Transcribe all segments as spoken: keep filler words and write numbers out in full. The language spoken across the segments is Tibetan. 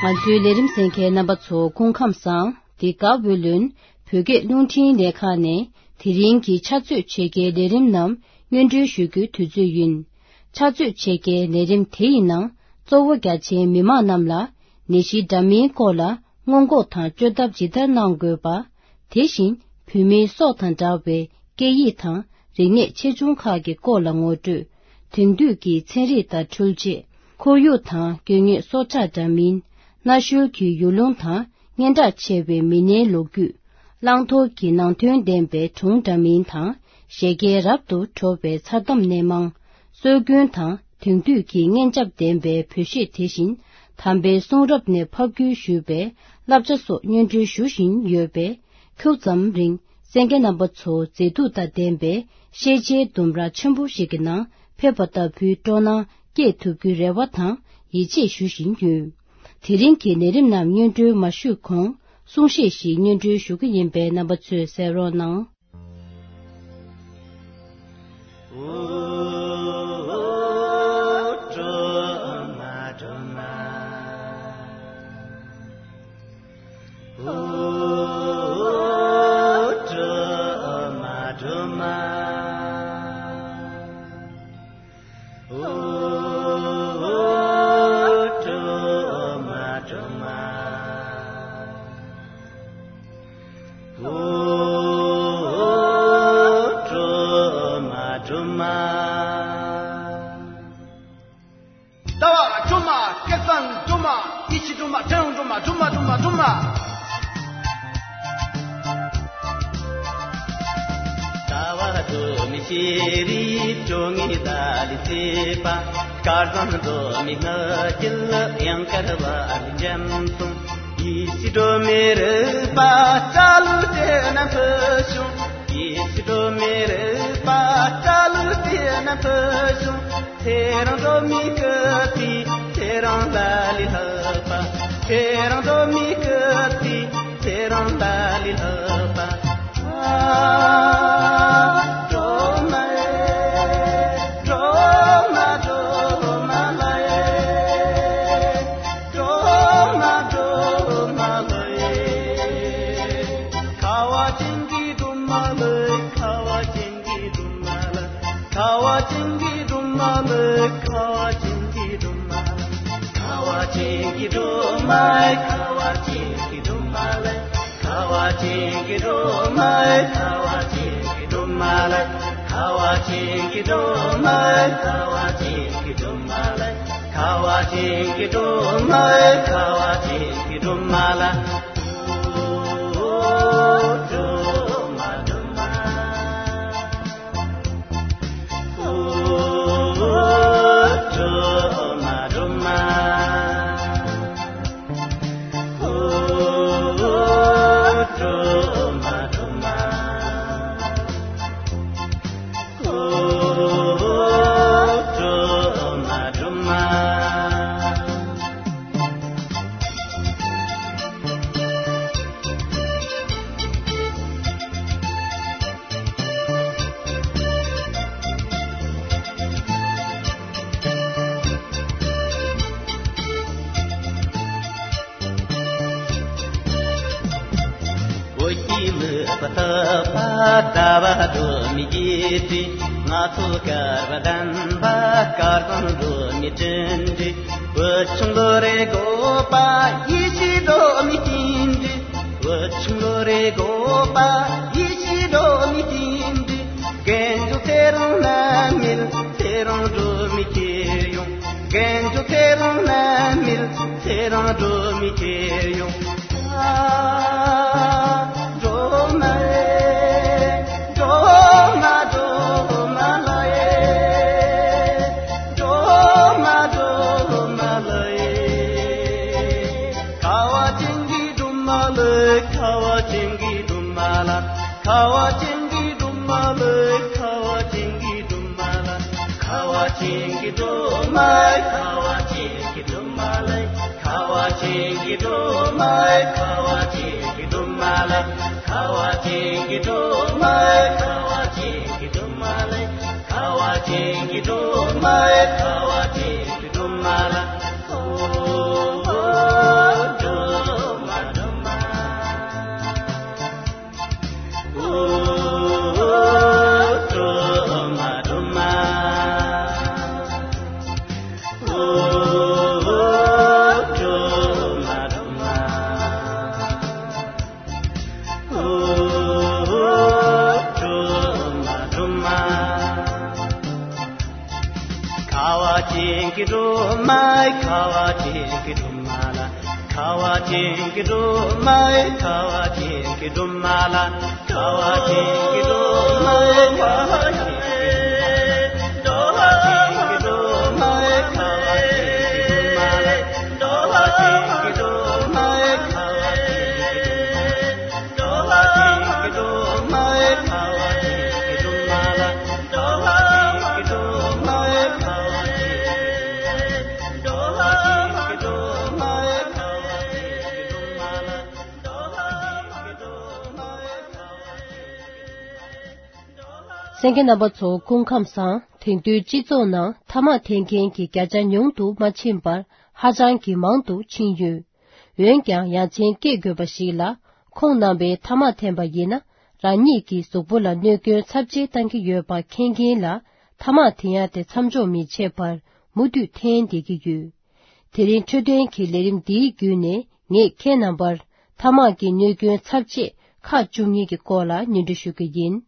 ང་ཚོའི་ལས་རིམ་གསན་མཁན་རྣམ་པ་ཚོ་སྐུ་ཁམས་བཟང་། འདི་ག་ཝེ་ལོན་བོད་སྐད་རླུང་འཕྲིན་ལས་ཁང་ནས་དེ་རིང་གི་ཕྱག་ཚོད་ཕྱེད་ཀའི་ལས་རིམ་རྣམས་སྙན་སྒྲོན་ཞུ་རྒྱུའི་དུས་ཚོད་ཡིན། ཕྱག་ཚོད་ཕྱེད་ཀའི་ལས་རིམ་དེ་ཡི་ནང་གཙོ་བོ་རྒྱ་ཆེའི་མི་མང་རྣམས་ལ་ནད་གཞི་འདྲ་མིན་སྐོར་ལ་སྔོན་འགོག་དང་བཅོས་ཐབས་ཇི་ལྟར་གནང་དགོས་པ། དེ་བཞིན་བོད་མིའི་སྲོག་དང་འདྲ་བའི་སྐད་ཡིག་དང་རིག་གནས་ཆེ་ཆུང་ཁག་གི་སྐོར་ལ་ངོ་སྤྲོད། དེང་དུས་ཀྱི་ཚན་རིག་དང་འཕྲུལ་ཆས། ཁོར་ཡུག་དང་དགོས་ངེས་སྲོག་ཆགས་འདྲ་མིན། གནའ་ཤུལ་གྱི་ཡུལ་ལུང་དང་སྙན་གྲགས་ཆེ་བའི་མི་སྣའི་ལོ་རྒྱུས། བླང་དོར་གྱི་ནང་དོན་ལྡན་པའི་སྒྲུང་འདྲ་མིན་དང་། བཞད་གད་རབ་ཏུ་བྲོ་བའི་མཚར་གཏམ་སྣེ་མང་། སྲོལ་རྒྱུན་དང་དེང་དུས་ཀྱི་སྙན་འཇེབས་ལྡན་པའི་བོད་གཞས། དེ་བཞིན་དམ་པའི་གསུང་རབ་ནས་ཕབ་བསྒྱུར་ཞུས་པའི་བསླབ་བྱ་སོགས་སྙན་སྒྲོན་ཞུ་བཞིན་ཡོད་པས། ཁྱུག་ཙམ་རིང་གསན་མཁན་རྣམ་པ་ཚོ་མཛེས་སྡུག་དང་ལྡན་པའི་ཤེས་བྱའི་ལྡུམ་ར་ཆེན་པོ་ཞིག་གི་ནང་ཕེབས་པ་ལྟ་བུའི་སྤྲོ་སྣང་སྐྱེས་ཐུབ་རྒྱུའི་རེ་བ་དང་ཡིད་ཆེས་ཞུ་བཞིན་ཡོད། དེ་རིང་གི་ལས་རིམ་རྣམས་སྙན་སྒྲོན་མ་ཞུས་གོང་གསུང་བཤད་ཞིག་སྙན་སྒྲོན་ཞུ་གི་ཡིན་པས་རྣམ་པ་ཚོས་གསན་རོགས་གནང་། ཟླ་བ་སྒྲོལ་མ། སྐལ་བཟང་སྒྲོལ་མ། ཡེ་ཤེས་སྒྲོལ་མ། ཚེ་རིང་སྒྲོལ་མ། སྒྲོལ་མ། སྒྲོལ་མ། སྒྲོལ་མ། ཟླ་བ་སྒྲོལ་མའི་ཤེས་རིག་སྤྲོ་ངེས་ལ་ལུས་བྱེད་པ། སྐལ་བཟང་སྒྲོལ་མའི་སྔགས་ཀྱི་དབྱངས་སྐར་བ་ལས་འཇམ་སོང་། ཡེ་ཤེས་སྒྲོལ་མའི་རོལ་པ་སྐྲ་ལོ་དེ་ན་འཕོ་བྱུང་། ཡེ་ཤེས་སྒྲོལ་མའི་རོལ་པ་སྐྲ་ལོ་དེ་ན་འཕོ་བྱུང་། ཚེ་རིང་སྒྲོལ་མའི་སྐུ་ཚེ་ཚེ་རིང་ལ་ལས་ལྷག་པ། ཚེ་རིང་སྒྲོལ་མའི་སྐུ་ཚེ་ཚེ་རིང་ལ་ལས་ལྷག་པ། སྒྲོལ་མ། སྒྲོལ་མ། སྒྲོལ་མ་ལགས། སྒྲོལ་མ། སྒྲོལ་མ་ལགས། ཁ་བ་ཅན་གྱི་སྒྲོལ་མ་ལགས། ཁ་བ་ཅན་གྱི་སྒྲོལ་མ་ལགས། ཁ་བ་ཅན་གྱི་སྒྲོལ་མ་ལགས། ཁ་བ་ཅན་གྱི་སྒྲོལ་མ་ལགས། ཁ་བ་ཅན་གྱི་སྒྲོལ་མ་ལགས། ཁ་བ་ཅན་གྱི་སྒྲོལ་མ་ལགས། ཁ་བ་ཅན་གྱི་སྒྲོལ་མ་ལགས། ཁ་བ་ཅན་གྱི་སྒྲོལ་མ་ལགས། ཁ་བ་ཅན་གྱི་སྒྲོལ་མ་ལགས། ཁ་བ་ཅན་གྱི་སྒྲོལ་མ་ལགས། ཁ་བ་ཅན་གྱི་སྒྲོལ་མ་ལགས། ཨོ་སྒྲོལ་མ་སྒྲོལ་མ། ཨོ་སྒྲོལ་མ་སྒྲོལ་མ། ཨོ་སྒྲོལ་མ་སྒྲོལ་མ། ཨོ་སྒྲོལ་མ་སྒྲོལ་མ། བོད་ཀྱི་མི་བཏབ་པ་ཟླ་བ་སྒྲོལ་མའི་རྗེས་དྲན། ང་ཚོ་སྐལ་བ་ལྡན་པ་སྐལ་བཟང་སྒྲོལ་མའི་དྲིན་དྲན། བུ་ཆུང་ལོ་རེ་དགོས་པ་ཡེ་ཤེས་སྒྲོལ་མའི་རྟེན་འབྲེལ། བུ་ཆུང་ལོ་རེ་དགོས་པ་ཡེ་ཤེས་སྒྲོལ་མའི་རྟེན་འབྲེལ། རྒན་ཚོ་ཚེ་རིང་ནད་མེད་ཚེ་རིང་སྒྲོལ་མའི་ཁྱེར་ཡོང་། རྒན་ཚོ་ཚེ་རིང་ནད་མེད་ཚེ་རིང་སྒྲོལ་མའི་ཁྱེར་ཡོང་། ཨ། སྒྲོལ་མ་ཨེ། སྒྲོལ་མ་སྒྲོལ་མ་ལགས་ཨེ། སྒྲོལ་མ་སྒྲོལ་མ་ལགས་ཨེ། ཁ་བ་ཅན་གྱི་སྒྲོལ་མ་ལགས། ཁ་བ་ཅན་གྱི་སྒྲོལ་མ་ལགས། ཁ་བ་ཅན་གྱི་སྒྲོལ་མ་ལགས། ཁ་བ་ཅན་གྱི་སྒྲོལ་མ་ལགས། ཁ་བ་ཅན་གྱི་སྒྲོལ་མ་ལགས། ཁ་བ་ཅན་གྱི་སྒྲོལ་མ་ལགས། ཁ་བ་ཅན་གྱི་སྒྲོལ་མ་ལགས། ཁ་བ་ཅན་གྱི་སྒྲོལ་མ་ལགས། ཁ་བ་ཅན་གྱི་སྒྲོལ་མ་ལགས། ཁ་བ་ཅན་གྱི་སྒྲོལ་མ་ལགས། ཁ་བ་ཅན་གྱི་སྒྲོལ་མ་ལགས། ཨོ། དེང་གི་སྒྲོལ་མ་ཁ་བ་དེང་གི་སྒྲོལ་མ་ལ། ཁ་བ་དེང་གི་སྒྲོལ་མ་ཁ་བ་དེང་གི་སྒྲོལ་མ་ལ། ཁ་བ་དེང་གི་སྒྲོལ་མ་ཁ་བ་དེང་གི་སྒྲོལ་མ་ལ། ཁ་བ་དེང་གི་སྒྲོལ་མ་ཁ་བ་དེང་གི་སྒྲོལ་མ་ལ། ཁ་བ་དེང་གི་སྒྲོལ་མ་ཁ་བ་དེང་གི་སྒྲོལ་མ་ལ། གསན་མཁན་རྣམ་པ་ཚོ་སྐུ་ཁམས་བཟང་། དེང་དུས་སྤྱི་ཚོགས་ནང་ཐ་མག་འཐེན་མཁན་གྱི་བརྒྱ་ཆ་ཉུང་དུ་མ་ཕྱིན་པར་ཧ་ཅང་གི་མང་དུ་ཕྱིན་ཡོད། འོན་ཀྱང་ཡ་མཚན་སྐྱེ་དགོས་པ་ཞིག་ལ། ཁོང་རྣམ་པས་ཐ་མག་འཐེན་པ་ཡིན་ན། རང་ཉིད་ཀྱི་གཟུགས་པོ་ལ་གནོད་སྐྱོན་ཚབས་ཆེ་བཏང་གི་ཡོད་པ་མཁྱེན་མཁན་ལ། ཐ་མག་འཐེན་ཡ་དེ་མཚམས་འཇོག་མི་བྱེད་པར་མུ་མཐུད་འཐེན་བསྡད་ཀྱི་ཡོད། དེ་རིང་འཕྲོད་བསྟེན་གྱི་ལས་རིམ་འདིའི་བརྒྱུད་ནས། ངས་ཁྱེད་རྣམ་པར་ཐ་མག་གི་གནོད་སྐྱོན་ཚབས་ཆེ་ཁག་བཅུ་གཉིས་ཀྱི་སྐོར་ལ་སྙན་སྒྲོན་ཞུ་གི་ཡིན།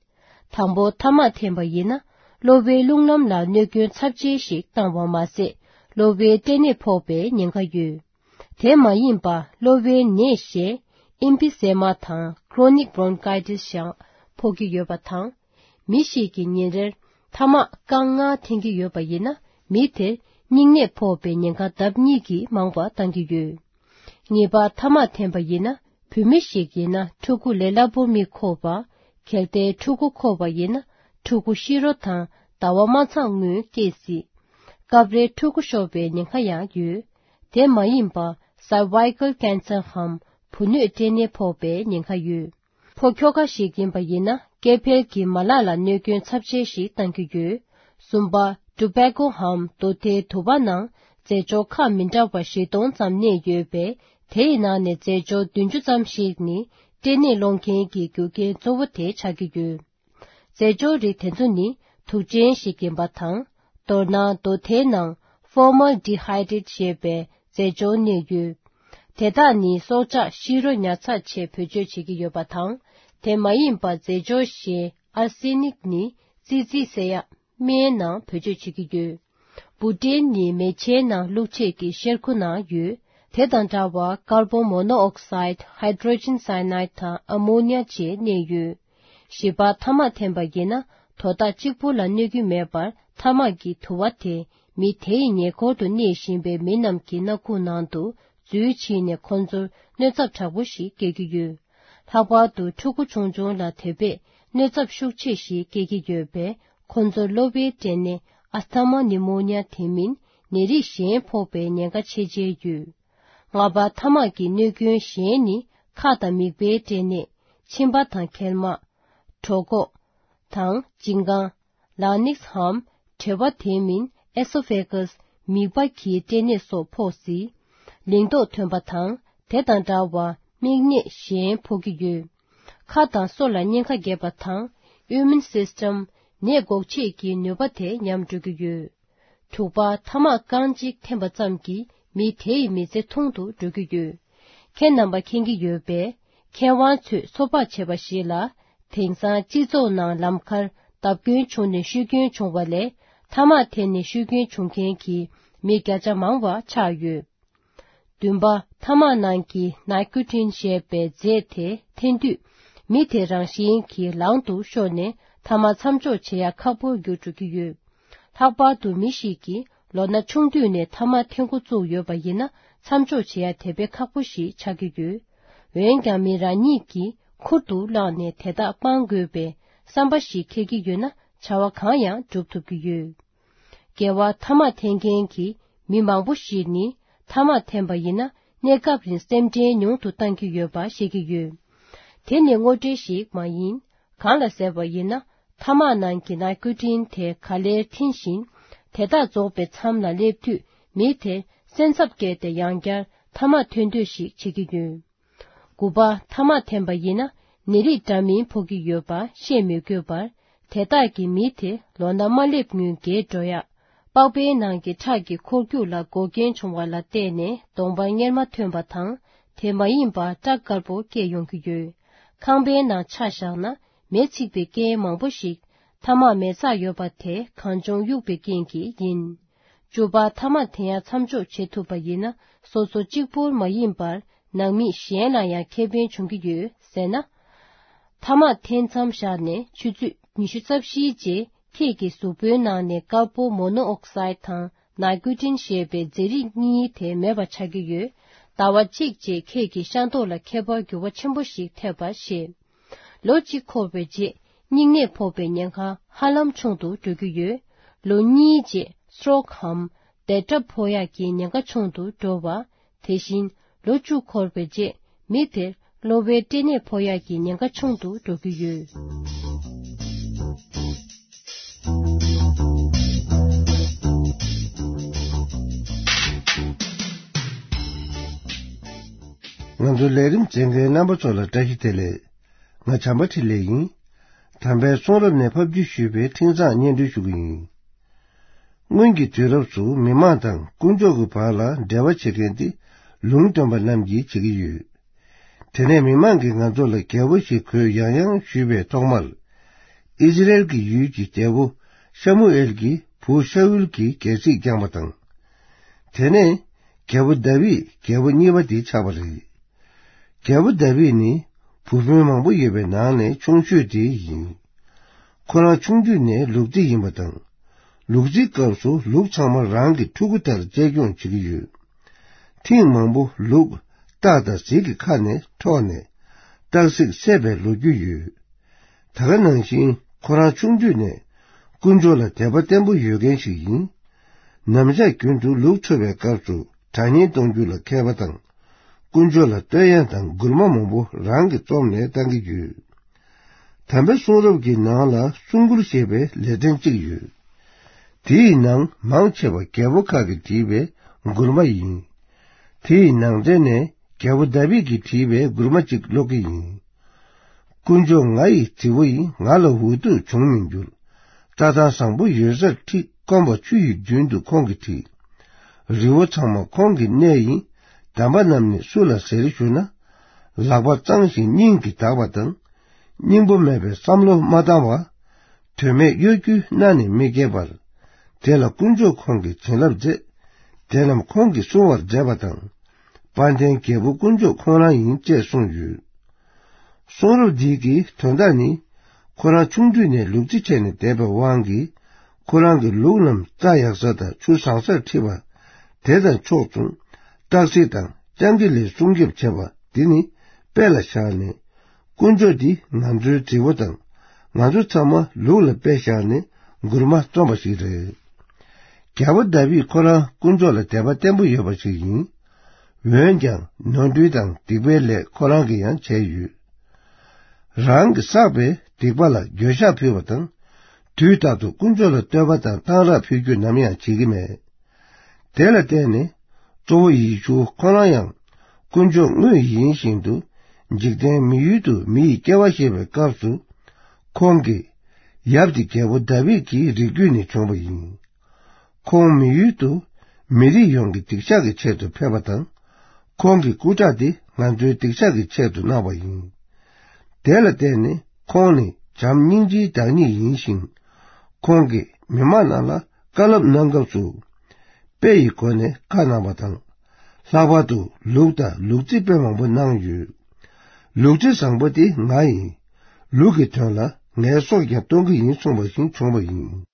དང་པོ། ཐ་མག་འཐེན་པ་ཡིན་ན། གློ་བའི་རླུང་ལམ་ལ་གནོད་སྐྱོན་ཚབས་ཆེ་ཞིག་བཏང་བ་མ་ཟད། གློ་བའི་སྐྲན་ནད་ཕོག་པའི་ཉེན་ཁ་ཡོད། དེ་མ་ཡིན་པ། གློ་བའི་ནད་གཞན་ཨེམ་ཕི་ཟེ་མ་དང་ཁྲོ་ནིག་བྷོན་ཀའི་ཊི་སི་ཡང་ཕོག་གི་ཡོད་པ་དང་། མི་ཞིག་གིས་ཉིན་རེར་ཐ་མག་རྐང་ལྔ་འཐེན་གྱི་ཡོད་པ་ཡིན་ན། མི་དེར་སྙིང་ནད་ཕོག་པའི་ཉེན་ཁ་ལྡབ་གཉིས་ཀྱིས་མང་བ་བཏང་གི་ཡོད། གཉིས་པ། ཐ་མག་འཐེན་པ་ཡིན་ན། བུད་མེད་ཞིག་ཡིན་ན་ཕྲུ་གུ་ལས་སླ་པོ་མི་འཁོར་བ། གལ་ཏེ་ཕྲུ་གུ་འཁོར་བ་ཡིན་ན། ཕྲུ་གུ་ཤི་རོ་དང་ཟླ་བ་མ་ཚང་སྔོན་སྐྱེས་སྲིད། སྐབས་རེ་ཕྲུ་གུ་ཤོར་བའི་ཉེན་ཁ་ཡང་ཡོད། དེ་མ་ཡིན་པ། སར་ཝའི་ཀལ་ཀན་སར་འམ་བུ་སྣོད་སྐྲན་ནད་ཕོག་པའི་ཉེན་ཁ་ཡོད། ཕོ་ཁྱོ་ག་ཞིག་ཡིན་པ་ཡིན་ན། སྐྱེ་འཕེལ་གྱི་མ་ལག་ལ་གནོད་སྐྱོན་ཚབས་ཆེ་ཞིག་བཏང་གི་ཡོད། གསུམ་པ། ཊོ་བྷེ་ཀོ་འམ་རྡོ་ཐལ་དུ་བ་ནང་རྫས་སྦྱོར་ཁག་མི་འདྲ་བ་བཞི་སྟོང་ཙམ་གནས་ཡོད་པས། དེའི་ནང་ནས་རྫས་སྦྱོར་བདུན་ཅུ་ཙམ་ཞིག་ནི་སྐྲན་ནད་སློང་མཁན་གྱི་རྒྱུ་རྐྱེན་གཙོ་བོ་དེ་ཆགས་ཀྱི་ཡོད། རྫས་སྦྱོར་རིགས་དེ་ཚོ་ནི་དུག་ཅན་ཞིག་ཡིན་པ་དང་། མདོར་ན་རྡོ་ཐལ་ནང་ཕོར་མལ་ཌི་ཧའི་ཌེ་ཊི་ཞེས་པའི་རྫས་སྦྱོར་གནས་ཡོད། དེ་དག་ནི་སྲོག་ཆགས་ཤི་རོ་ཉར་ཚགས་ཆེད་བེད་སྤྱོད་བྱེད་ཀྱི་ཡོད་པ་དང་། དེ་མ་ཡིན་པ་རྫས་སྦྱོར་གཞན་ཨར་སེ་ནིག་ནི་ཙི་ཙི་ཟེར་ཡག་སྨན་ནང་བེད་སྤྱོད་བྱེད་ཀྱི་ཡོད། བུ་ཊེན་ནི་མེ་ལྕེའི་ནང་བླུགས་བྱེད་ཀྱི་གཤེར་ཁུ་ནང་ཡོད། དེ་དང་འདྲ་བར་ཀར་བོན་མོ་ནོ་ཨོག་སའིད། ཧའི་ཌྲོ་ཇེན་སའི་ནའིད་དང་ཨ་མོ་ནི་ཡ་བཅས་གནས་ཡོད། བཞི་པ། ཐ་མག་འཐེན་པ་ཡིན་ན། དོ་བདག་གཅིག་པུ་ལ་གནོད་ཀྱི་མེད་པར། ཐ་མག་གི་དུ་བ་དེ་མི་དེའི་ཉེ་འཁོར་དུ་གནས་བཞིན་པའི་མི་རྣམས་ཀྱི་སྣ་ཁུག་ནང་དུ་འཛུལ་ཕྱིན་ནས། ཁོ་ཚོར་གནོད་ཚབས་དྲག་པོ་ཞིག་སྐྱེལ་གྱི་ཡོད། ལྷག་པར་དུ་ཕྲུ་གུ་ཆུང་ཆུང་ལ་དེ་བས་གནོད་ཚབས་ཤུགས་ཆེ་ཞིག་སྐྱེལ་གྱི་ཡོད་པས། ཁོ་ཚོར་གློ་བའི་སྐྲན་ནད་ཨས་ཐ་མ་ནི་མོ་ནི་ཡ་དེ་མིན་ནད་རིགས་གཞན་ཕོག་པའི་ཉེན་ཁ་ཆེ་ཆེ་ཡོད། ལྔ་པ། ཐ་མག་གི་གནོད་སྐྱོན་གཞན་ནི་ཁ་དང་མིད་པའི་སྐྲན་ནད། མཆིན་པ་དང་མཁལ་མ། གྲོད་ཁོག་དང་མཇིང་རྐང་། ལག་ནིགས་འམ་གྲེ་བ་དེ་མིན་ཨེ་སོ་ཕེ་གས། མིད་པ་གི་སྐྲན་ནད་སོགས་ཕོག་སྲིད། ལིང་ཏོག་ཐོན་པ་དང་དེ་དང་འདྲ་བ་མིག་ནད་གཞན་ཕོག་གི་ཡོད། ཁ་དང་སོ་ལ་གཉན་ཁ་རྒྱས་པ་དང་ཨིམ་མུན་སིས་ཊམ་ནད་འགོག་བྱེད་ཀྱི་ནུས་པ་དེ་ཉམས་འགྲོ་གི་ཡོད། དྲུག་པ། ཐ་མག་རྐང་གཅིག་འཐེན་པ་ཙམ་གྱིས་མི་དེའི་མི་ཚེ་ཐུང་དུ་འགྲོ་གི་ཡོད། ཁྱེད་རྣམ་པ་མཁྱེན་གྱི་ཡོད་པས། མཁས་དབང་ཚོས་ཚོད་དཔག་བྱས་པ་ཞིག་ལ། དེང་སང་སྤྱི་ཚོགས་ནང་ལམ་ཁར་བརྡབ་སྐྱོན་བྱུང་ནས་ཤི་སྐྱོན་བྱུང་བ་ལས། ཐ་མག་འཐེན་ནས་ཤི་སྐྱོན་བྱུང་མཁན་གྱི་མི་བརྒྱ་ཆ་མང་བ་ཆགས་ཡོད། བདུན་པ། ཐ་མག་ནང་གི་ནའི་ཀོ་ཊིན་ཞེས་པའི་རྫས་དེ་འཐེན་དུས། མི་དེ་རང་བཞིན་གྱིས་ལང་དུ་ཤོར་ནས་ཐ་མག་མཚམས་འཇོག་བྱེད་ཡ་ཁག་པོར་གྱུར་འགྲོ་གི་ཡོད། ལྷག་པར་དུ་མི་ཞིག་གིས་ལོ་ན་ཆུང་དུས་ནས་ཐ་མག་འཐེན་འགོ་བཙུགས་ཡོད་པ་ཡིན་ན། མཚམས་འཇོག་བྱེད་ཡ་དེ་བས་ཁག་པོ་ཞིག་ཆགས་ཀྱི་ཡོད། འོན་ཀྱང་མི་རང་ཉིད་ཀྱིས་ཁུར་དུ་བླངས་ནས་དེ་དག་སྤང་དགོས་པའི་བསམ་པ་ཞིག་འཁྱེར་གྱི་ཡོད་ན། བྱ་བ་གང་ཡང་སྒྲུབ་ཐུབ་ཀྱི་ཡོད། རྒྱལ་བ། ཐ་མག་འཐེན་མཁན་གྱི་མི་མང་པོ་ཞིག་ནི་ཐ་མག་འཐེན་པ་ཡིན་ན། གནས་སྐབས་རིང་སེམས་ཁྲལ་ཉུང་དུ་བཏང་གི་ཡོད་པ་ཤེས་ཀྱི་ཡོད། དེ་ནི་དངོས་འབྲེལ་ཞིག་མ་ཡིན། གང་ལ་ཟེར་བ་ཡིན་ན། ཐ་མག་ནང་གི་ནའི་ཀོ་ཊིན་དེ་ག་ལེར་འཐེན་ཞིང་། དེ་དག་རྫོགས་པའི་མཚམས་ལ་སླེབས་དུས། མི་དེ་སེམས་འཚབ་སྐྱེས་ཏེ་ཡང་བསྐྱར་ཐ་མག་འཐེན་འདོད་ཞིག་བྱེད་ཀྱི་ཡོད། དགུ་པ། ཐ་མག་འཐེན་པ་ཡིན་ན། ནད་རིགས་འདྲ་མིན་ཕོག་གི་ཡོད་པ་ཤེས་མི་དགོས་པར། དེ་དག་གིས་མི་དེ་ལོ་ན་མ་སླེབས་སྔོན་རྒས་འགྲོ་ཡག་པགས་པའི་ནང་གི་ཁྲག་གི་འཁོར་རྒྱུག་ལ་འགོག་རྐྱེན་བྱུང་བ་ལ་བརྟེན་ནས་གདོང་པ་གཉེར་མ་ཐོན་པ་དང་། དེ་མ་ཡིན་པ་སྐྲ་དཀར་པོ་སྐྱེས་ཡོང་གི་ཡོད། ཁང་པའི་ནང་ཆ་བཞག་ན། མེ་ཚིག་པའི་རྐྱེན་མང་པོ་ཞིག་ཐ་མག་མེ་བཙའ་ཡོད་པ་དེ་གངས་ལྗོངས་གཡུག་པའི་རྐྱེན་གྱིས་ཡིན། བཅུ་པ་ཐ་མག་འཐེན་ཡ་མཚམས་འཇོག་བྱེད་ཐུབ་པ་ཡིན་ན། སོ་སོ་གཅིག་པོར་མ་ཡིན་པར་ནང་མི་གཞན་ལ་ཡང་ཁེ་ཕན་འབྱུང་གི་ཡོད་ཟེར་ན། ཐ་མག་འཐེན་མཚམས་བཞག་ནས་ཆུ་ཚོད་ཉི་ཤུ་རྩ་བཞིའི་རྗེས་ཁྱེད་ཀྱི་གཟུགས་པོའི་ནང་ནས་ཀར་བོ་མོ་ནོ་ཨོག་སའིད་དང་ནའི་ཀོ་ཊིན་ཞེས་པའི་རྫས་རིགས་གཉིས་དེ་མེད་པ་ཆགས་ཀྱི་ཡོད། ཟླ་བ་གཅིག་རྗེས་ཁྱེད་ཀྱི་ཤ་མདོག་ལ་ཁྱད་པར་འགྱུར་བ་ཆེན་པོ་ཞིག་ཐེབས་པ་ཤེས། ལོ་གཅིག་འཁོར་བའི་རྗེས་སྙིང་ནད་ཕོག་པའི་ཉེན་ཁ་ཧ་ལམ་ཆུང་དུ་འགྲོ་གི་ཡོད། ལོ་གཉིས་རྗེས་སི་ཊོག་གམ་དལ་གྲབས་ཕོག་ཡག་གི་ཉེན་ཁ་ཆུང་དུ་འགྲོ་བ། དེ་བཞིན་ལོ་བཅུ་འཁོར་བའི་རྗེས་མི་དེར་གློ་བའི་སྐྲན་ནད་ཕོག་ཡག་གི་ཉེན་ཁ་ཆུང་དུ་འགྲོ་གི་ཡོད། ང་ཚོ་ལས་རིམ་གསན་མཁན་རྣམ་པ་ཚོ་ལ་བཀྲ་ཤིས་བདེ་ལེགས། ང་བྱམས་པ་འཕྲིན་ལས་ཡིན། དམ་པའི་གསུང་རབ་ནས་ཕབ་བསྒྱུར་ཞུས་པའི་འཕྲིན་བཟང་སྙན་སྒྲོན་ཞུ་གི་ཡིན། སྔོན་གྱི་དུས་རབས་སུ་མི་མང་དང་དཀོན་མཆོག་གི་བར་ལ་འབྲེལ་བ་བྱེད་མཁན་དེ་ལུང་སྟོན་པ་རྣམས་ཀྱིས་བྱེད་ཀྱི་ཡོད། དེ་ནས་མི་མང་གིས་ང་ཚོ་ལ་རྒྱལ་པོ་ཞིག་དགོས་ཡང་ཡང་ཞུས་པའི་ཐོག་མར། ཨིས་ར་ཨེལ་གྱི་ཡུལ་གྱི་རྒྱལ་པོ་ཤ་མུ་ཨེལ་གྱིས་བུ་ཤ་ཨུལ་གྱི་རྒྱལ་སྲིད་བསྐྱངས་པ་དང་། དེ་ནས་རྒྱལ་པོ་དཱ་བིད་རྒྱལ་པོ་གཉིས་པ་དེ་ཆགས་པ་རེད། རྒྱལ་པོ་དཱ་བིད་ནི་བུ་སྤུན་མང་པོ་ཡོད་པའི་ནང་ནས་ཆུང་ཤོས་དེ་ཡིན། ཁོ་རང་ཆུང་དུས་ནས་ལུག་རྫི་ཡིན་པ་དང་། ལུག་རྫིའི་སྐབས་སུ་ལུག་ཚང་མ་རང་གི་ཕྲུ་གུ་ལྟར་གཅེས་སྐྱོང་བྱེད་ཀྱི་ཡོད། ཐེངས་མང་པོ་ལུག་སྟག་དང་གཟིག་གི་ཁ་ནས་འཕྲོག་ནས་སྟག་གཟིག་བསད་པའི་ལོ་རྒྱུས་ཡོད། ད་ག་ནང་བཞིན་ཁོ་རང་ཆུང་དུས་ནས་དཀོན་མཆོག་ལ་དད་པ་བརྟན་པོ་ཡོད་མཁན་ཞིག་ཡིན། ནམ་ཞག་རྒྱུན་དུ་ལུག་འཚོ་བའི་སྐབས་སུ་དྲ་བརྙན་གཏོང་རྒྱུ་ལ་མཁས་པ་དང་། དཀོན་མཆོག་ལ་བསྟོད་དབྱངས་དང་མགུར་མ་མང་པོ་རང་གིས་རྩོམ་ནས་བཏང་གི་ཡོད། དམ་པའི་གསུང་རབ་ཀྱི་ནང་ལ་གསུང་མགུར་ཞེས་པའི་ལེ་ཚན་གཅིག་ཡོད། དེའི་ནང་མང་ཆེ་བ་རྒྱལ་པོ་ཁག་གིས་བྲིས་པའི་མགུར་མ་ཡིན། དེའི་ནང་གྲས་ནས་རྒྱལ་པོ་དཱ་བིད་ཀྱིས་བྲིས་པའི་མགུར་མ་གཅིག་ཀློག་གི་ཡིན། དཀོན་མཆོག་ང་ཡི་རྫི་བོ་ཡིས་ང་ལ་འུ་ཐུག་འབྱུང་མི་འགྱུར། རྩྭ་ཐང་བཟང་པོ་ཡོད་སར་ཁྲིད་སྐོམ་པ་ཆུ་ཡི་མདུན་དུ་ཁོང་གིས་ཁྲིད། རི་བོ་ཚང་མ་ཁོང་གི་གནས་ཡིན། འདམ་པ་རྣམས་ནི་སུ་ལ་ཟེར་ཞུ་ན། ལག་པ་གཙང་ཞིང་སྙིང་གིས་དག་པ་དང་། སྙིང་པོ་མེད་པའི་བསམ་བློ་མ་བཏང་བ། དོན་མེད་གཡོ་སྒྱུའི་སྣ་ནས་མི་སྐྱེ་བར། དེ་ལ་དཀོན་མཆོག་ཁོང་གིས་བྱིན་རླབས་མཛད། དེ་རྣམས་ཁོང་གིས་སྲུང་བར་མཛད་པ་དང་། དཔལ་ལྡན་རྒྱལ་པོ་དཀོན་མཆོག་ཁོང་རང་ཡིན་ཅེས་གསུངས་ཡོད། གསུང་རབ་འདི་གི་དོན་དག་ནི། ཁོ་རང་ཆུང་དུས་ནས་ལུག་རྫི་བྱས་ནས་བསྡད་པའི་དབང་གིས། ཁོ་རང་གི་ལུག་རྣམས་རྩྭ་ཡག་ས་དང་ཆུ་བཟང་སར་ཁྲིད་པ། དེ་དང་ཕྱོགས་མཚུངས། སྟག་གཟིག་དང་སྤྱང་ཀི་ལས་སྲུང་སྐྱོབ་བྱེད་པ་འདི་ནི་དཔེ་ལ་བཞག་ནས། དཀོན་མཆོག་འདི་ང་ཚོའི་རྫི་བོ་དང་། ང་ཚོ་ཚང་མ་ལུག་ལ་དཔེ་བཞག་ནས་མགུར་མ་རྩོམ་པ་ཞིག་རེད། རྒྱལ་པོ་དཱ་བིད་ཁོ་རང་དཀོན་མཆོག་ལ་དད་པ་བརྟན་པོ་ཡོད་པ་ཞིག་ཡིན། འོན་ཀྱང་ནོར་འཁྲུལ་དང་སྡིག་པའི་ལས་ཁོ་རང་གིས་ཡང་བྱས་ཡོད། རང་གིས་བསགས་པའི་སྡིག་པ་ལ་འགྱོད་བཤགས་ཕུལ་བ་དང་། དུས་རྟག་ཏུ་དཀོན་མཆོག་ལ་བསྟོད་པ་དང་གཏང་རག་ཕུལ་རྒྱུ་ནམ་ཡང་བྱེད་ཀྱི་མེད། དེ་ལ་བརྟེན་ནས་གཙོ་བོ་ཡེ་ཤུ་ཁོ་རང་ཡང་དཀོན་མཆོག་དངོས་ཡིན་བཞིན་དུ་འཇིག་རྟེན་མི་ཡུལ་དུ་མི་ཡི་སྐྱེ་བ་བཞེས་པའི་སྐབས་སུ། ཁོང་གི་ཡབ་དེ་རྒྱལ་པོ་དཱ་བིད་ཀྱི་རིགས་རྒྱུད་ནས་བྱུང་བ་ཡིན། ཁོང་མི་ཡུལ་དུ་མི་རིགས་ཡོངས་ཀྱི་སྡིག་བཤགས་ཀྱི་ཆེད་དུ་ཕེབས་པ་དང་། ཁོང་གི་སྐུ་ཁྲག་དེ་ང་ཚོའི་སྡིག་བཤགས་ཀྱི་ཆེད་དུ་གནང་བ་ཡིན། དེ་ལ་བརྟེན་ནས་ཁོང་ནི་བྱམས་སྙིང་རྗེའི་བདག་ཉིད་ཡིན་ཞིང་། ཁོང་གིས་མི་མང་རྣམས་ལ་བཀའ་སློབ་གནང་སྐབས་སུ། དཔེ་ཡི་སྒོ་ནས་བཀའ་གནང་བ་དང་། ལྷག་པར་དུ་ལུག་དང་ལུག་རྫི་དཔེ་མང་པོ་གནང་ཡོད། ལུག་རྫི་བཟང་པོ་དེ་ང་ཡིན། ལུག་གི་དོན་ལ་ངའི་སྲོག་ཀྱང་གཏོང་གི་ཡིན་གསུངས་པ་བཞིན་བྱུང་བ་ཡིན།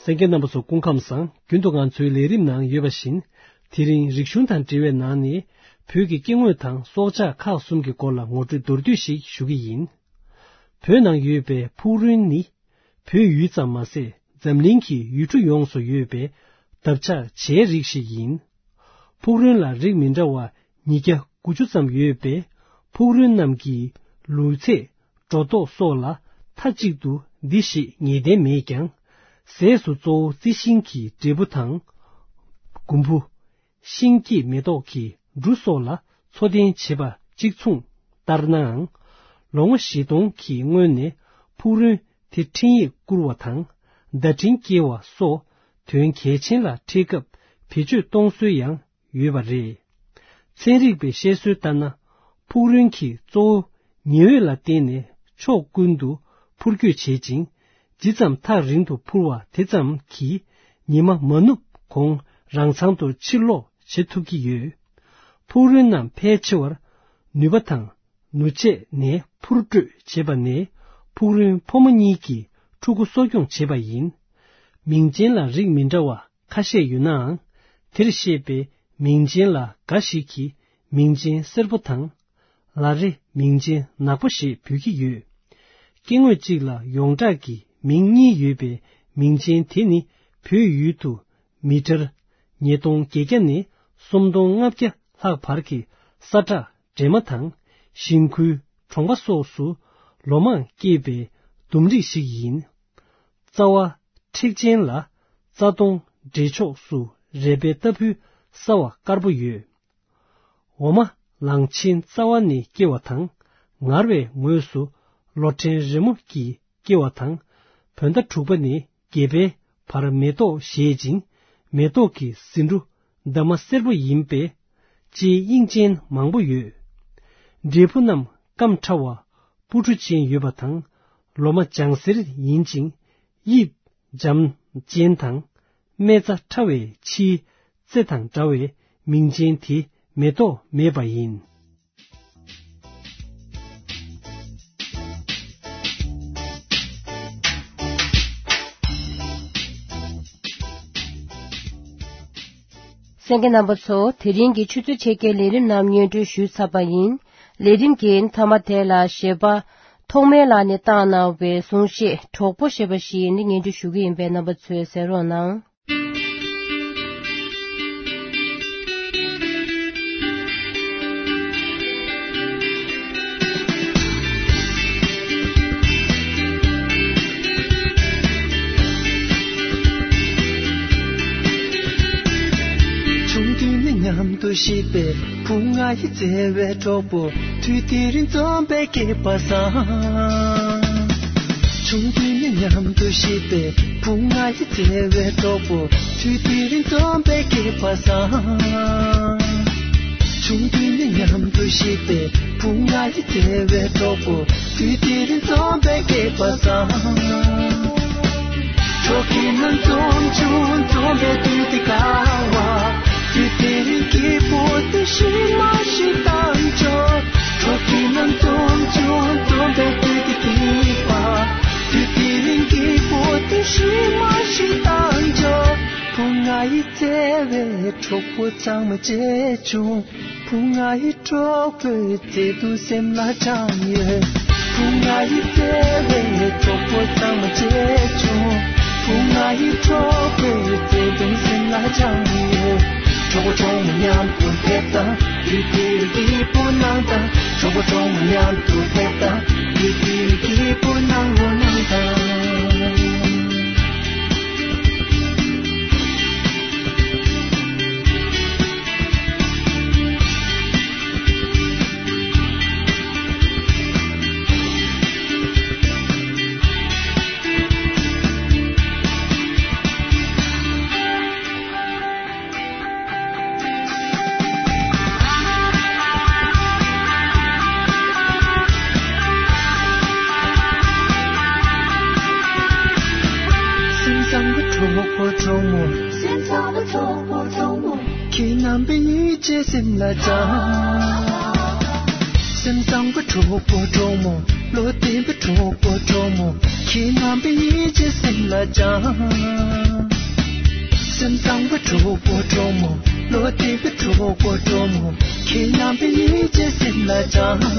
གསན་མཁན་རྣམ་པ་ཚོ་སྐུ་ཁམས་བཟང་། རྒྱུན་དུ་ང་ཚོའི་ལས་རིམ་ནང་ཡོད་པ་བཞིན། དེ་རིང་རིག་གཞུང་དང་འབྲེལ་བའི་ནང་ནས་བོད་ཀྱི་སྐྱེ་དངོས་དང་སྲོག་ཆགས་ཁག་གསུམ་གྱི་སྐོར་ལ་ངོ་སྤྲོད་མདོར་བསྡུས་ཤིག་ཞུ་གི་ཡིན། བོད་ནང་ཡོད་པའི་ཕུག་རོན་ནི། བོད་ཡུལ་ཙམ་མ་ཟད། འཛམ་གླིང་གི་ཡུལ་གྲུ་ཡོངས་སུ་ཡོད་པའི་འདབ་ཆགས་བྱའི་རིགས་ཤིག་ཡིན། ཕུག་རོན་ལ་རིགས་མི་འདྲ་བ་ཉིས་བརྒྱ་དགུ་བཅུ་ཙམ་ཡོད་པའི་ཕུག་རོན་རྣམས་ཀྱི་ལུས་ཚད། སྒྲོ་འདོགས་སོགས་ལ་མཐའ་གཅིག་ཏུ་འདི་ཞེས་ངེས་གཏན་མེད་ཀྱང་། ཟས་སུ་གཙོ་བོ་རྩི་ཤིང་གི་འབྲས་བུ་དང་། གོམ་བུ། ཤིང་སྐྱེས་མེ་ཏོག་གི་འབྲུ་སོགས་ལ་འཚོ་རྟེན་བྱེད་པ་གཅིག་མཚུངས་ལྟར་ནའང་། ལོ་ངོ་བཞི་སྟོང་གི་སྔོན་ནས་ཕུག་རོན་དེ་འཕྲིན་ཡིག་བསྐུར་བ་དང་། བརྡ་འཕྲིན་སྐྱེལ་བ་སོགས་དོན་གལ་ཆེན་ལ་འཕྲད་སྐབས་བེད་སྤྱོད་གཏོང་སྲོལ་ཡང་ཡོད་པ་རེད། ཚན་རིག་པའི་བཤད་སྲོལ་ལྟར་ན། ཕུག་རོན་གྱིས་གཙོ་བོ་ཉི་འོད་ལ་བརྟེན་ནས་ཕྱོགས་ཀུན་ཏུ་འཕུར་སྐྱོད་བྱེད་ཅིང་། ཇི་ཙམ་ཐག་རིང་དུ་འཕུར་བ་དེ་ཙམ་གྱིས་ཉི་མ་མ་ནུབ་གོང་རང་མཚང་དུ་ཕྱིར་ལོག་བྱེད་ཐུབ་ཀྱི་ཡོད། ཕུག་རོན་རྣམས་ཕལ་ཆེ་བར་ནུས་པ་དང་ནུས་ཆད་ནས་འཕུར་སྐྲོད་བྱེད་པ་ནས་ཕུག་རོན་ཕོ་མོ་གཉིས་ཀྱི་ཕྲུ་གུ་གསོ་སྐྱོང་བྱེད་པ་ཡིན། མིང་ཅན་ལ་རིགས་མི་འདྲ་བ་ཁ་ཤས་ཡོད་ནའང་། དེར་བཤད་པའི་མིང་ཅན་ལ་འགའ་ཞིག་གིས་མིང་ཅན་སེར་པོ་དང་། ལ་རེ་མིང་ཅན་ནག་པོ་ཞེས་འབོད་ཀྱི་ཡོད། སྐྱེ་དངོས་གཅིག་ལ་ཡོངས་གྲགས་ཀྱི་མིང་གཉིས་ཡོད་པའི་མིང་ཅན་དེ་ནི་བོད་ཡུལ་དུ་མི་ཊར་ཉིས་སྟོང་བརྒྱད་བརྒྱ་ནས་སུམ་སྟོང་ལྔ་བརྒྱ་ལྷག་བར་གྱི་ས་ཁྲ་འདྲེས་མ་དང་ཞིང་ཁུལ་གྲོང་པ་སོགས་སུ་ལོ་མང་སྐྱེས་པའི་ལྡུམ་རིགས་ཤིག་ཡིན། རྩ་བ་མཁྲེགས་ཅན་ལ་རྩ་སྟོང་འབྲེལ་ཕྱོགས་སུ་རལ་པའི་ལྟ་བུའི་སྲ་བ་དཀར་པོ་ཡོད། འོ་མ་ལང་ཆེན་རྩ་བ་ནས་སྐྱེ་བ་དང་། ངར་བའི་ངོས་སུ་ལོ་ཕྲན་རི་མོ་གིས་སྐྱེ་བ་དང་། བོད་ཟླ་དྲུག་པ་ནས་བརྒྱད་པའི་བར་མེ་ཏོག་བཞད་ཅིང་། མེ་ཏོག་གི་ཟེའུ་འབྲུ་འདབ་མ་སེར་པོ་ཡིན་པས་ལྕེའི་དབྱིངས་ཅན་མང་པོ་ཡོད། འབྲས་བུ་རྣམས་སྐམ་ཕྲ་བ་སྤུ་གྲུ་ཅན་ཡོད་པ་དང་། ལོ་མ་ལྗང་སེར་ཡིན་ཅིང་། དབྱིབས་འཇམ་ཅན་དང་། སྨེ་བྱ་ཕྲ་བའི་ཕྱིའི་རྩེ་དང་འདྲ་བས་མིང་ཅན་དེ་མེ་ཏོག་མེད་པ་ཡིན། གསན་མཁན་རྣམ་པ་ཚོ། དེ་རིང་གི་ཆུ་ཚོད་ཕྱེད་ཀའི་ལས་རིམ་རྣམས་སྙན་སྒྲོན་ཞུས་ཚར་བ་ཡིན། ལས་རིམ་གྱི་མཐའ་མ་དེ་ལ་གཞས་པ་ཐོགས་མེད་ལགས་ནས་བཏང་གནང་བའི་གསུང་བཤད་གྲོགས་པོ་ཞེས་པ་ཞིག་ནི་སྙན་སྒྲོན་ཞུ་གི་ཡིན་པས་རྣམ་པ་ཚོས་གསན་རོགས་གནང་། ཆུང་དུས་ནས་མཉམ་དུ་གཤིབས་པའི་བུ་ང་ཡི་བརྩེ་བའི་གྲོགས་པོ། དུས་དེ་རིང་འཛོམས་པའི་སྐལ་བ་བཟང་། ཆུང་དུས་ནས་མཉམ་དུ་གཤིབས་པའི་བུ་ང་ཡི་བརྩེ་བའི་གྲོགས་པོ། དུས་དེ་རིང་འཛོམས་པའི་སྐལ་བ་བཟང་། ཆུང་དུས་ནས་མཉམ་དུ་གཤིབས་པའི་བུ་ང་ཡི་བརྩེ་བའི་གྲོགས་པོ། དུས་དེ་རིང་འཛོམས་པའི་སྐལ་བ་བཟང་། གྲོགས་ཀྱི་རྣམ་འཛོམས་བྱུང་འཛོམས་པའི་དུས་དེ་དགའ་བ། དུས་དེ་རིང་སྐྱིད་པོ་དེ་ཤི་མ་ཤི་དང་འཇོག་གྲོགས་ཀྱི་རྣམ་འཛོམས་བྱུང་འཛོམས་པའི་དུས་དེ་སྐྱིད་པ། དུས་དེ་རིང་སྐྱིད་པོ་དེ་ཤི་མ་ཤི་དང་འཇོག་བུ་ང་ཡི་བརྩེ་བའི་གྲོགས་པོ་ཚང་མ་བརྗེད་བྱུང་། བུ་ང་ཡི་གྲོགས་པོའི་བརྩེ་དུང་སེམས་ལ་སྦྱངས་ཡོད། བུ་ང་ཡི་བརྩེ་བའི་གྲོགས་པོ་ཚང་མ་བརྗེད་བྱུང་། བུ་ང་ཡི་གྲོགས་པོའི་བརྩེ་དུང་སེམས་ལ་སྦྱངས་ཡོད། གྲོགས་པོ་གྲོགས་མོ་མཉམ་དུ་ཕེབས་དང་། དུས་དེར་སྐྱིད་པོ་གནང་དང་། གྲོགས་པོ་གྲོགས་མོ་མཉམ་དུ་ཕེབས་དང་། དུས་དེར་སྐྱིད་པོ་གནང་རོགས་གནང་དང་། སེམས་བཟང་པོ་གྲོགས་པོ་གྲོགས་མོ། སེམས་བཟང་པོ་གྲོགས་པོ་གྲོགས་མོ། ཁྱེད་རྣམ་པའི་ཡིད་ཆེས་སེམས་ལ་སྦྱངས། སེམས་བཟང་པོ་གྲོགས་པོ་གྲོགས་མོ། བློ་བདེ་པོ་གྲོགས་པོ་གྲོགས་མོ། ཁྱེད་རྣམ་པའི་ཡིད་ཆེས་སེམས་ལ་སྦྱངས། སེམས་བཟང་པོ་གྲོགས་པོ་གྲོགས་མོ། བློ་བདེ་པོ་གྲོགས་པོ་གྲོགས་མོ། ཁྱེད་རྣམ་པའི་ཡིད་ཆེས་སེམས་ལ་བཅངས།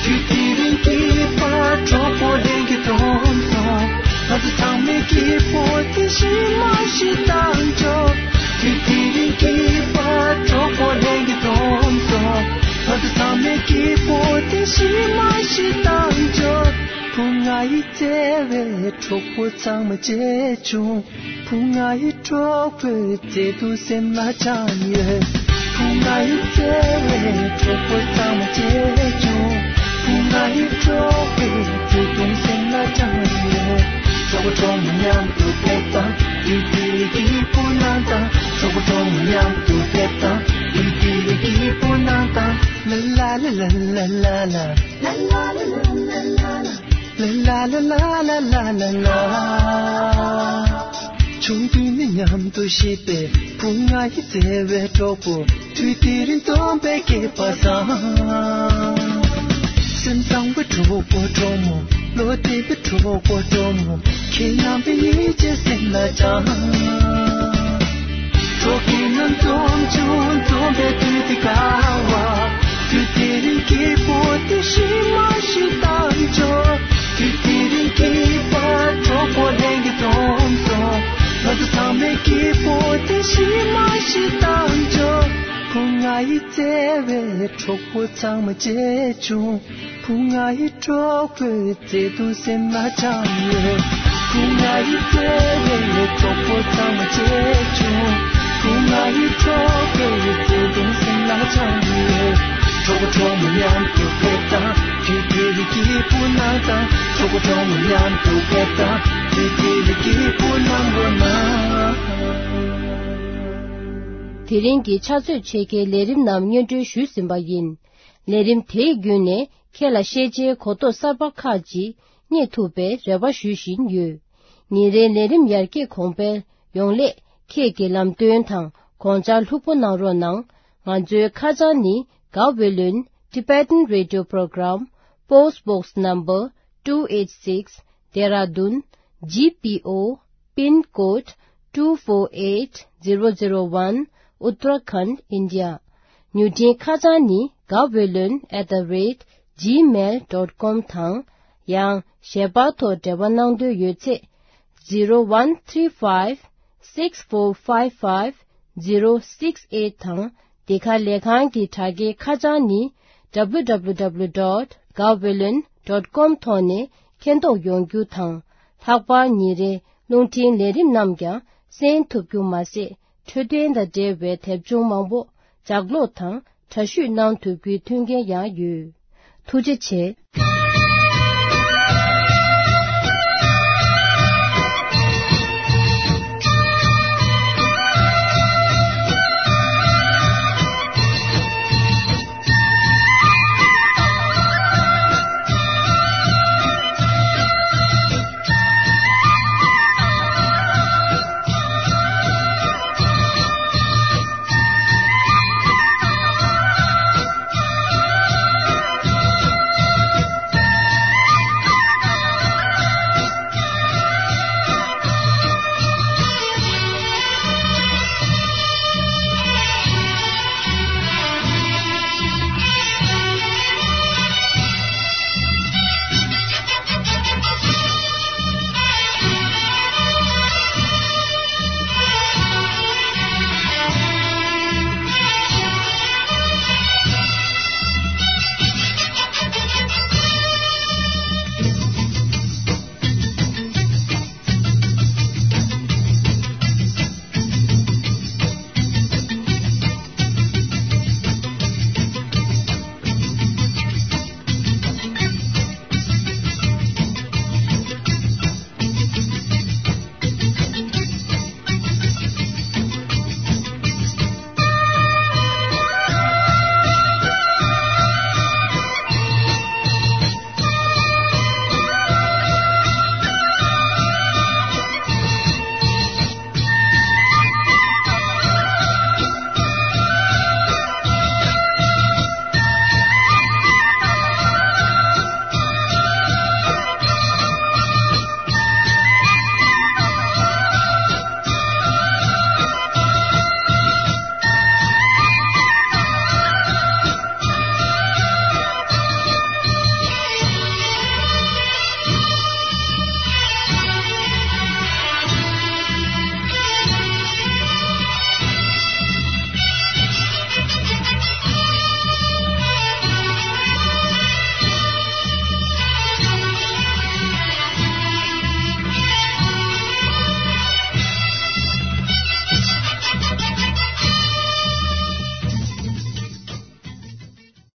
དུས་དེ་རིང་གི་བར་གྲོགས་པོ་ལྷན་རྒྱས་འཛོམས་སོང་། ང་ཚོ་ཚང་མའི་སྐྱིད་པོ་དེ་ཞིག་མ་ཞིག་བཏང་ཆོག་དུས་དེ་རིང་གི་བར་གྲོགས་པོ་ལྷན་རྒྱས་འཛོམས་སོང་། ང་ཚོ་ཚང་མའི་སྐྱིད་པོ་དེ་ཞིག་མ་ཞིག་བཏང་ཆོག་བུ་ང་ཡི་བརྩེ་བའི་གྲོགས་པོ་ཚང་མ་མཇལ་བྱུང་། བུ་ང་ཡི་གྲོགས་པོའི་བརྩེ་དུང་སེམས་ལ་བཅངས་ཡོད། བུ་ང་ཡི་བརྩེ་བའི་གྲོགས་པོ་ཚང་མ་མཇལ་བྱུང་། བུ་ང་ཡི་གྲོགས་པོའི་བརྩེ་དུང་སེམས་ལ་བཅངས་ཡོད། གྲོགས་པོ་གྲོགས་མོ་མཉམ་དུ་ཕེབས་དང་། དུས་དེ་རིང་གི་སྐྱིད་པོ་གནང་དང་། གྲོགས་པོ་གྲོགས་མོ་མཉམ་དུ་ཕེབས་དང་། དུས་དེ་རིང་གི་སྐྱིད་པོ་གནང་དང་། ལ་ལ་ལ་ལ། ལ་ལ་ལ་ལ། ལ་ལ་ལ་ལ། ལ་ལ་ལ་ལ། ཆུང་དུས་ནས་མཉམ་དུ་གཤིབས་པའི་བུ་ང་ཡི་བརྩེ་བའི་གྲོགས་པོ། དུས་དེ་རིང་སྟོན་པའི་སྐྱེས་པ་བཟང་། སེམས་བཟང་བའི་གྲོགས་པོ་གྲོགས་མོ། བློ་བདེ་བའི་གྲོགས་པོ་གྲོགས་མོ། ཁྱེད་རྣམ་པའི་ཡིད་ཆེས་སེམས་ལ་བཅངས། གྲོགས་ཀྱི་རྣམ་འཛོམས་བྱུང་། འཛོམས་པའི་དུས་འདི་དགའ་བ། དུས་དེ་རིང་སྐྱིད་པོ་དེ་ཞིག་མ་ཞིག་བཏང་ཆོག་དུས་དེ་རིང་སྐྱིད་པ་གྲོགས་པོ་ལྷན་རྒྱས་འཛོམས་སོང་། ང་ཚོ་ཚང་མས་སྐྱིད་པོ་དེ་ཞིག་མ་ཞིག་བཏང་ཆོག་བུ་ང་ཡི་བརྩེ་བའི་གྲོགས་པོ་ཚང་མ་མཇལ་བྱུང་། བུ་ང་ཡི་གྲོགས་པོའི་བརྩེ་དུང་སེམས་ལ་བཅངས་ཡོད། བུ་ང་ཡི་བརྩེ་བའི་གྲོགས་པོ་ཚང་མ་མཇལ་བྱུང་། བུ་ང་ཡི་གྲོགས་པོའི་བརྩེ་དུང་སེམས་ལ་བཅངས་ཡོད། གྲོགས་པོ་གྲོགས་མོ་མཉམ་དུ་ཕེབས་དང་། དུས་དེ་རིང་སྐྱིད་པོ་གནང་དང་། གྲོགས་པོ་གྲོགས་མོ་མཉམ་དུ་ཕེབས་དང་། དུས་དེ་རིང་སྐྱིད་པོ་གནང་རོགས་གནང་། དེ་རིང་གི་ཕྱག་ཚོད་ཕྱེད་ཀའི་ལས་རིམ་རྣམས་སྙན་སྒྲོན་ཞུས་ཟིན་པ་ཡིན། ལས་རིམ་དེའི་བརྒྱུད་ནས་ཁྱེད་ལ་ཤེས་བྱའི་གོ་རྟོགས་གསར་པ་ཁག་ཅིག་རྙེད་ཐུབ་པའི་རེ་བ་ཞུ་བཞིན་ཡོད། ཉིན་རེའི་ལས་རིམ་ཡར་རྒྱས་གོང་འཕེལ་ཡོང་སླད་ཁྱེད་ཀྱི་ལམ་སྟོན་དང་དགོངས་འཆར་ལྷུག་པོ་གནང་རོགས་གནང་། ང་ཚོའི་ཁ་བྱང་ནི། Gaweylon Tibetan Radio Program, Post Box Number two eight six, Dehradun, G P O, Pin Code two four eight zero zero one, Uttarakhand, India. མྱུར་འཕྲིན་ཁ་བྱང་ནི། gaweylon at the rate gmail dot com དང་། ཡང་ཞལ་པར་ཐོག་འབྲེལ་བ་གནང་འདོད་ཡོད་ཚེ། zero one three five six four five five zero six eight དང་། འདི་ག་ལས་ཁང་གི་དྲ་རྒྱའི་ཁ་བྱང་ནི། W W W dot gaweylon dot com ཐོག་ནས་མཁྱེན་རྟོགས་ཡོང་རྒྱུ་དང་། ལྷག་པར་ཉིན་རེའི་རླུང་འཕྲིན་ལས་རིམ་རྣམས་ཀྱང་གསན་ཐུབ་རྒྱུ་མ་ཟད། འཕྲོད་བསྟེན་དང་འབྲེལ་བའི་དེབ་ཆུང་མང་པོ་ལྗགས་ཀློག་དང་འདྲ་བཤུས་གནང་ཐུབ་རྒྱུའི་མཐུན་རྐྱེན་ཡང་ཡོད། ཐུགས་རྗེ་ཆེ།